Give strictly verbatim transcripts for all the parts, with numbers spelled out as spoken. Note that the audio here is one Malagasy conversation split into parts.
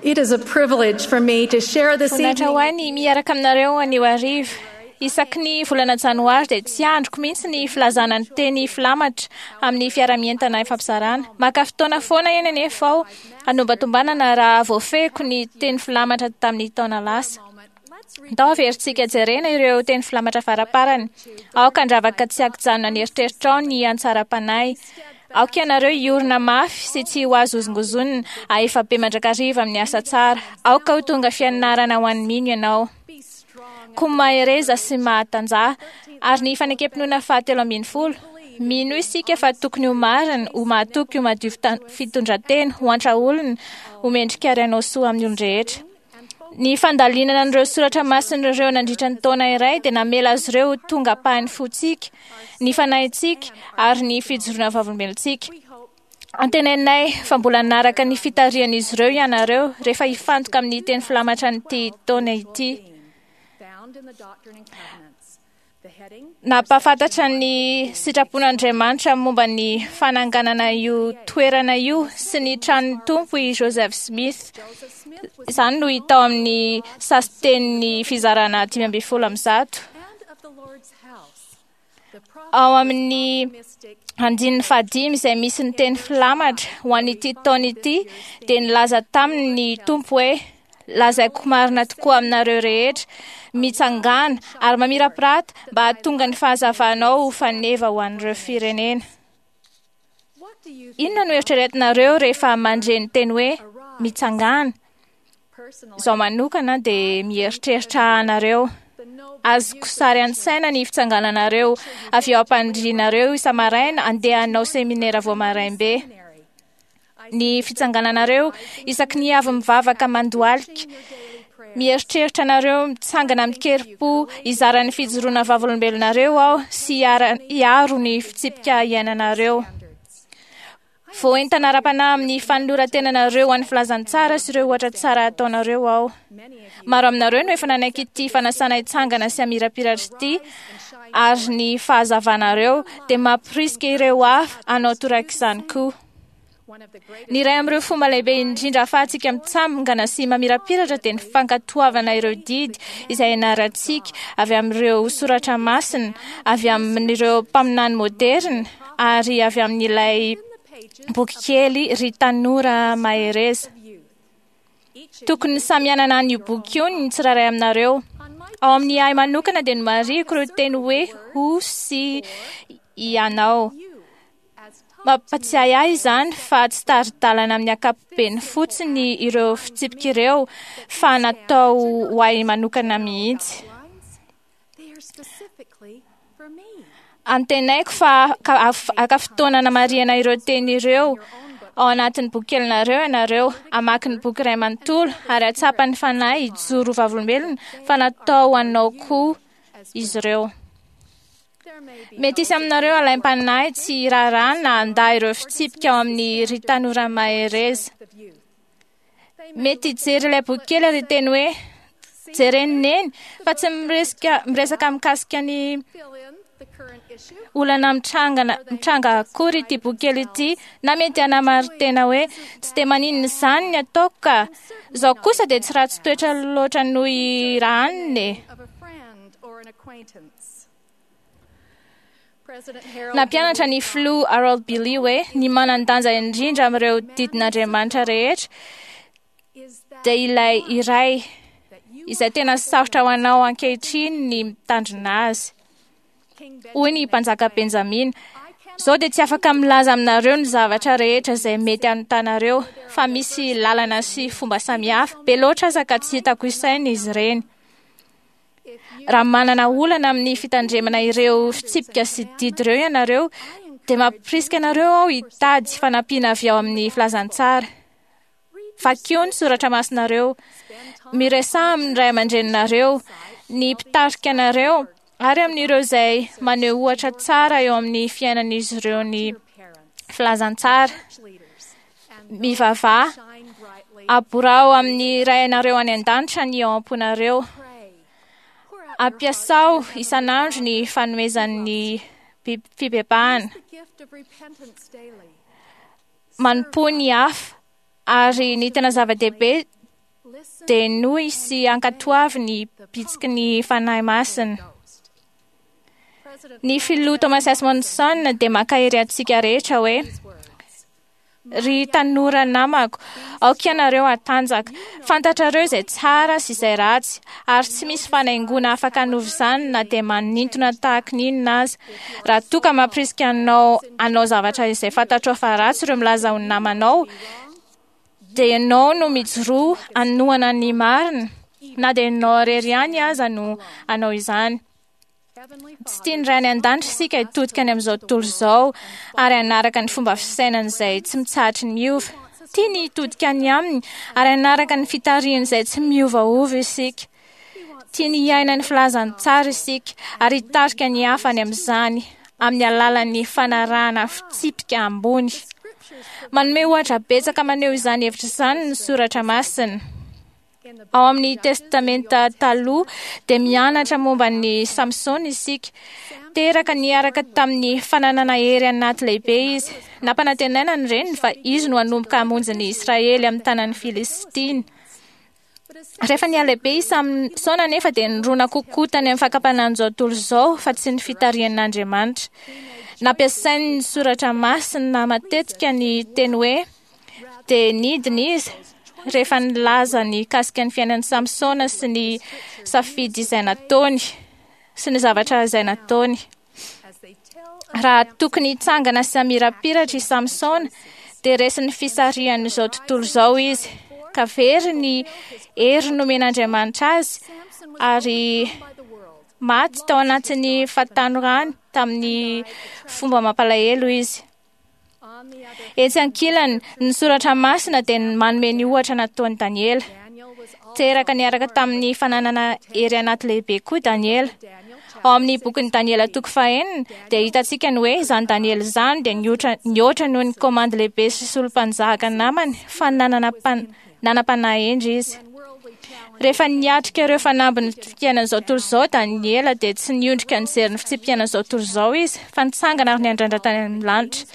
It is a privilege for me to share this Voninahitra ho evening ahy ny miaraka aminareo anio hariva. Isaky ny volana janoary dia tsy andriko mihitsy ny filazana ny teny filamatra amin'ny fiarahamientana ifampizarana. Maka fotoana foana eny anefa aho hanombatombanana raha voafehiko ny teny filamatra tamin'ny taona lasa. Ndao averintsika jerena ireo teny filamatra faraparany. Aoka handravaka tsy ankijanona ny eritreritrao ny antsaram-panahy. Aoka ianareo hiorina mafy sy tsy ho azo hozongozonina ahefa be mandrakariva amin'ny asa tsara. Aoka ho tonga fianarana ho an'ny mino ianao. Koa mahereza sy mahatanjaha. Ary ny fanekem-pinoana fahatelo ambin'ny folo. Mino isika fa tokony ho marina, ho mahatoky, ho madio fita- fitondran-tena, ho antra olona, ho mendrika ary hanao soa amin'ny olon-drehetra. Ny fandalinana an'ireo soratra masina ireo nandritra ny taona iray dia namela azy ireo ho tonga ampahan'ny fontsika, ny fanahintsika ary ny fijoroana vavolombelontsika. Antenainay fa mbola nanaraka ny fitarihan'izy ireo ianareo rehefa hifantoka amin'ny teny filamatra an'ity taona ity. found in the Doctrine and Covenants. The heading Nampahafantatra ny sitrapon'Andriamanitra momba ny fananganana io toerana io sy ny tranon'ny Tompo i Joseph Smith. Joseph Smith was Izany no hita ao amin'ny sasin-tenin'ny fizarana dimy ambin'ny folo amby zato. and of the Lord's house. The prophet Ao amin'ny mystic andininy fahadimy izay misy ny teny filamatra ho an'ity taona ity dia nilaza taminy ny Tompo hoe lazaiko marina tokoa aminareo rehetra mitsangana ary mamirapirata mba hahatonga ny fahazavanao ho faneva ho an'ireo firenena. What do you Inona no eritreretinareo rehefa mandre ny teny hoe mitsangana? personally Izaho manokana dia mieritreritra anareo. the noble Azoko sary an-tsaina ny fitsangananareo avy eo am-pandrianareo isa-maraina andeha hanao seminera vao maraim-be. seminary? Ny fitsangananareo isaky ny avy mivavaka mandohalika. Your daily prayer Mieritreritra anareo mitsangana amin-kerim-po hizara ny fijoroana vavolombelonareo aho sy hiara- hiaro ny fitsipika iainanareo. standards. Voaentana ara-panahy amin'ny fanoloran-tenanareo ho an'ny filazantsara sy ireo ohatra tsara ataonareo aho. Many of you Maro aminareo no efa nanaiky ity fanasana hitsangana sy hamirapiratra ity ary ny fahazavanareo dia mampirisika ireo hafa hanao torak'izany koa. one of the greatest Ny iray amin'ireo fomba lehibe indrindra ahafahantsika mitsangana sy mamirapiratra dia ny fankatoavana ireo didy izay ianarantsika avy amin'ireo soratra masina, avy amin'ireo mpaminany moderina ary avy amin'ilay in the pages boky kely Ry Tanora Mahereza. of youth. Each of Tokony samy hanana an'io boky io ny tsirairay aminareo. on my Ao amin'ny ahy manokana dia nomarihiko ireo teny hoe ho sy ianao. you as taught Mampatsiahy ahy izany fa tsy tari-dalana amin'ny ankapobeny fotsiny ireo fitsipika ireo fa natao ho ahy manokana mihitsy. lines, they are specifically for me. Antenaiko fa ka- af- haka fotoana namarihana ireo teny ireo ao anatin'ny boky kelinareo ianareo, hamaky ny boky iray manontolo ary hahatsapa ny fanahy hijoro ho vavolombelona fa natao ho anao koa izy ireo. There may be Mety hisy aminareo alaim-panahy tsy hiraharaha na handà ireo fitsipika ao amin'ny Ry Tanora Mahereza. of youth. Mety hijery ilay boky kely ary hiteny hoe jereny neny fa tsy miresika miresaka mikasika ny Fill in the current issue. olana mitrangana mitranga akory ity boky kely ity na mety hanamari-tena hoe tsy dia maninona izany ny ataoko ka izao kosa dia tsy ratsy toetra loatra noho i raha anina e. Of a friend or an acquaintance. President Harold Nampianatra ny filoha Harold B. Lee hoe ny manan-danja indrindra amin'ireo didin'Andriamanitra rehetra is that dia ilay iray that you izay tena sarotra ho anao ankehitriny ny mitandrina azy. King Hoy ny mpanjaka Benjamina, izao dia tsy afaka milaza aminareo ny zavatra rehetra izay mety hanontanareo fa misy lalana sy fomba samihafa be loatra aza ka tsy hitako isaina izy ireny. if you Raha manana olana amin'ny fitandremana ireo fitsipika sy didy ireo ianareo dia mampirisika anareo aho hitady fanampiana avy ao amin'ny filazantsara. Vakio ny soratra masinareo, miresaha amin'ny ray aman-dreninareo, ny mpitarika anareo ary amin'ireo izay maneho ohatra tsara eo amin'ny fiainan'izy ireo ny your parents, filazantsara. church leaders, and Mivavaha, shine brightly. aborao amin'ny rainareo any an-danitra ny ao am-ponareo. Pray. Pour out your heart Ampiasao to your isan'andro ny fanomezan'ny bi- fibebahana. Use the gift of repentance daily. Manompoa ny hafa ary ny tena zava-dehibe dia henoy sy ankatoavy ny bitsiky ny Fanahy Masina. Ny filoha Thomas S. Monson dia mankahery antsika rehetra hoe: "Ry tanora namako, aoka ianareo hatanjaka. Fantatrareo izay tsara sy izay ratsy, ary tsy misy fanaingoana afaka hanova izany na dia manintona tahaka ny inona aza. Raha toa ka mampirisika anao hanao zavatra izay fantatrao fa ratsy ireo milaza ho namanao, dia ianao no mijoroa hanohana ny marina, na dia ianao irery ihany aza no hanao izany. Tsy tian'ny Ray any an-danitra isika hitodika any amin'izao tontolo izao ary hanaraka ny fomba fisainana izay tsy mitsahatry ny miova. Tiany hitodika any aminy ary hanaraka ny fitarihany izay tsy miovaova isika. Tiany hiaina ny filazany tsara isika ary hitarika ny hafa any amin'izany amin'ny alalan'ny fanarahana fitsipika ambony. Manome ohatra betsaka maneho izany hevitra izany ny soratra masina. Ao amin'ny Testamenta Taloha dia mianatra momba ny Samsona isika. Teraka niaraka tamin'ny fananana hery anaty lehibe izy. Nampanantenaina ny reniny fa izy no hanomboka hamonjy ny Israely amin'ny tanan'ny Filistina. Rehefa nihalehibe i Samsona anefa dia nirona kokoa tany amin'ny fakam-panahin'izao tontolo izao fa tsy ny fitarihan'Andriamanitra. Nampiasainy ny soratra masina matetika ny teny hoe dia nidina izy rehefa nilaza ny kasika ny fiainan'i Samsona sy ny safidy izay nataony sy ny zavatra izay nataony. Raha tokony hitsangana sy hamirapiratra i Samsona dia resin'ny fisarihan'izao tontolo izao izy, ka very ny hery nomen'Andriamanitra azy ary maty tao anatin'ny fahatanorany tamin'ny fomba mampalahelo izy. Etsy ankilany, ny soratra masina dia manome ny ohatra nataon'i Daniela. Teraka niaraka tamin'ny fananana hery anaty lehibe koa Daniela. Ao amin'ny bokin'i Daniela toko fahenina dia hitantsika ny hoe izany Daniela izany dia nihoatra nihoatra noho ny komandy lehibe sy solom-panjaka namany fa nanana nanam-panahy hendry izy. Rehefa niatrika ireo fanambin'ny fiainan'izao tontolo izao Daniela dia tsy niondrika nijery ny fitsipiainan'izao tontolo izao izy fa nitsangana ary niandrandra tany amin'ny lanitra.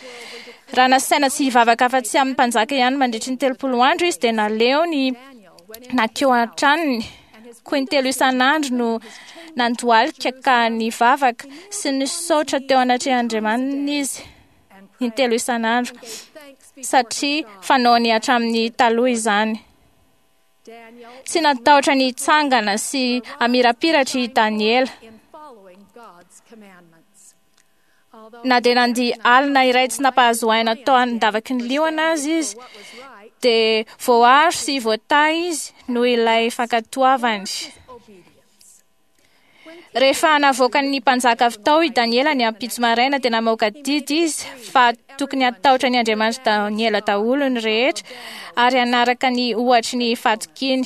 Raha nasaina tsy hivavaka afa-tsy amin'ny mpanjaka ihany mandritry ny telopolo andro izy dia naleony nankeo an-tranony. Koa intelo isan'andro no nandohalika ka nivavaka sy nisaotra teo anatrehan'Andriamaniny izy intelo isan'andro, satria fanaony hatramin'ny taloha izany. Tsy natahotra ny hitsangana sy hamirapiratra i Daniela. Na dia nandia alina iray tsy nampahazo aina tao an-davaky ny liona aza izy, dia voaaro sy voatahy izy noho ilay fankatoavany. Rehefa navoakan'ny mpanjaka avy tao i Daniela ny ampitso maraina dia namoaka didy izy fa tokony hatahotra ny Andriamanitra Daniela daholo ny rehetra ary hanaraka ny ohatry ny fatokiany.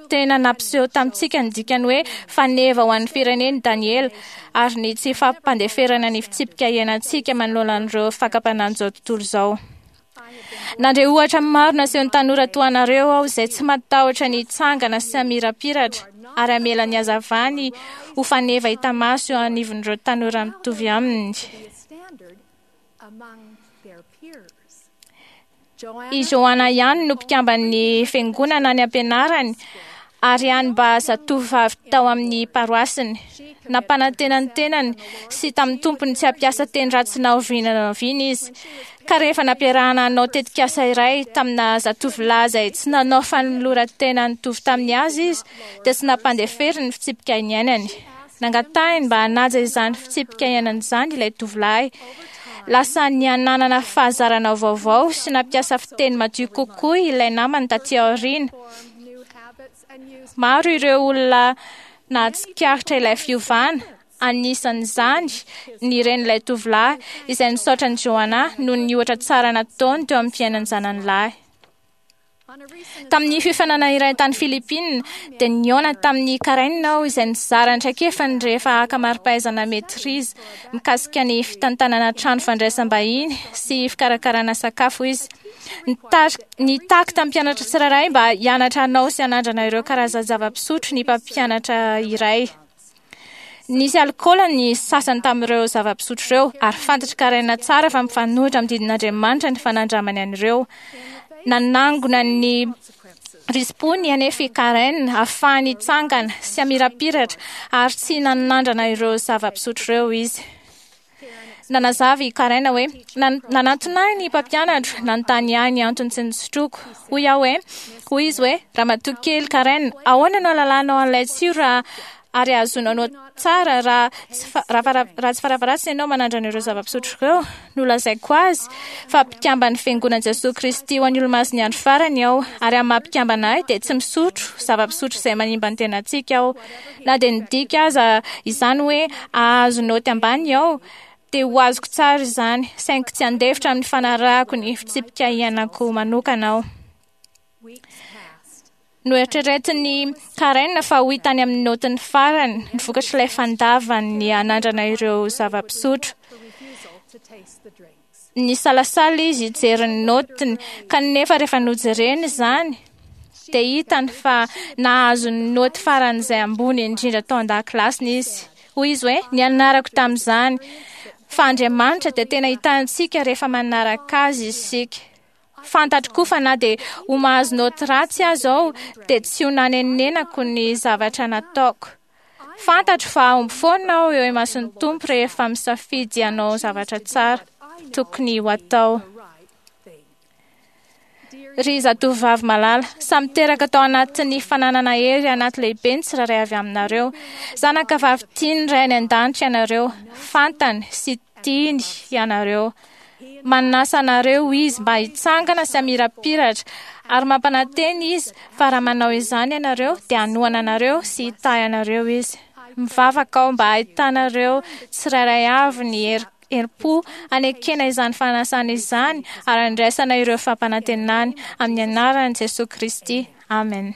Tena nampiseho tamintsika ny dikany hoe faneva ho an'ny fireneny Daniela ary ny tsy fampandeferana ny fitsipika iainantsika manoloana an'ireo fakam-panahin'izao tontolo izao. Nandre ohatra maro nasehon'ny tanora toa anareo aho izay tsy matahotra ny hitsangana sy hamirapiratra ary hamela ny hazavany ho faneva hita maso eo anivon'ireo tanora mitovy aminy. I Joanna ihany no mpikamban'ny fiangonana any am-pianarany ary ihany mba zatovovavy tao amin'ny paroasiny. Nampanantena ny tenany sy tamin'ny tompony tsy hampiasa teny ratsy na oviana na oviana izy. Ka rehefa nampiarahana hanao tetikasa iray tamina zatovolahy izay tsy nanao fanoloran-tena nitovy tamin'ny azy izy, dia tsy nampandeferiny ny fitsipika niainany. Nangatahiny mba hanaja izany fitsipika iainany izany ilay tovolahy. Lasa niananana fahazarana vaovao sy nampiasa fiteny madio kokoa ilay namany taty aoriana. Maro ireo olona nahatsikaritra ilay fiovana, anisan'izany ny renin'ilay tovolahy izay nisaotra an'i Joanna noho ny ohatra tsara nataony teo amin'ny fiainan'ny zanany lahy. Tamin'ny fiofanana iray tany Filipina dia nihaona tamin'ny Karen aho izay nizara ny traikefany rehefa haka mari-pahaizana maîtrise mikasika ny fitantanana trano fandraisam-bahiny sy fikarakarana sakafo izy. Nitaky tamin'ny mpianatra tsirairay mba hianatra hanao sy hanandrana ireo karazan-java-pisotro ny mpampianatra iray. Nisy alikaola ny sasany tamin'ireo zava-pisotro ireo ary fantatr'i Karen tsara fa mifanohitra amin'ny didin'Andriamanitra ny fanandramany an'ireo. Nanangona ny Risi-pony anefa i Karen ahafahany hitsangana sy hamirapiratra ary tsy nanandrana ireo zava-pisotro ireo izy. Nanazava i Karen hoe nanantona ahy ny mpampianatro nanontany ahy ny antony tsy nisotroko. Hoy aho hoe, hoy izy hoe, ramatoa kely Karen, ahoana no ahalalanao an'ilay tsiro raha ary ahazoanao tsara raha raha tsy farafaharatsiny ianao manandrana ireo zava-pisotro ireo? Nolazaiko azy fa mpikamban'ny fiangonan'i Jesoa Kristy ho an'ny Olomasin'ny andro farany aho, ary amin'ny maha mpikambana ahy dia tsy misotro zava-pisotro izay manimba ny tenantsika aho. Na dia nidika aza izany hoe ahazo naoty ambany aho, dia ho azoko tsara izany, saingy tsy handefitra amin'ny fanarahako ny fitsipika iainako manokana aho. Noeritreretin'i Karen fa ho hitany amin'ny naotiny farany ny vokatr'ilay fandavany hanandrana ireo zava-pisotro. Nisalasala izy hijery ny naotiny, kanefa rehefa nojereny izany dia hitany fa nahazo ny naoty faran'izay ambony indrindra tao an-dakilasiny izy. Hoy izy hoe, nianarako tamin'izany fa Andriamanitra dia tena hitantsika rehefa manaraka azy isika. Fantatro koa fa na dia ho mahazo naoty ratsy aza aho dia tsy ho nanenenako ny zavatra nataoko. Fantatro fa hahomby foana aho eo imason'ny Tompo rehefa misafidy hanao zavatra tsara tokony ho atao. Ry zatovovavy malala, samy teraka tao anatin'ny fananana hery anaty lehibe ny tsirairay avy aminareo. Zanaka vavy tian'ny Ray any an-danitra ianareo, fantany sy tiany ianareo. Manasa anareo izy mba hitsangana sy hamirapiratra, ary mampanantena izy fa raha manao izany ianareo dia hanohana anareo sy hitahy anareo izy. Mivavaka aho mba hahitanareo tsirairay avy ny hery herim-po hanekena izany fanasana izany ary handraisana ireo fampanantenany amin'ny anaran'i Jesoa Kristy. Amen.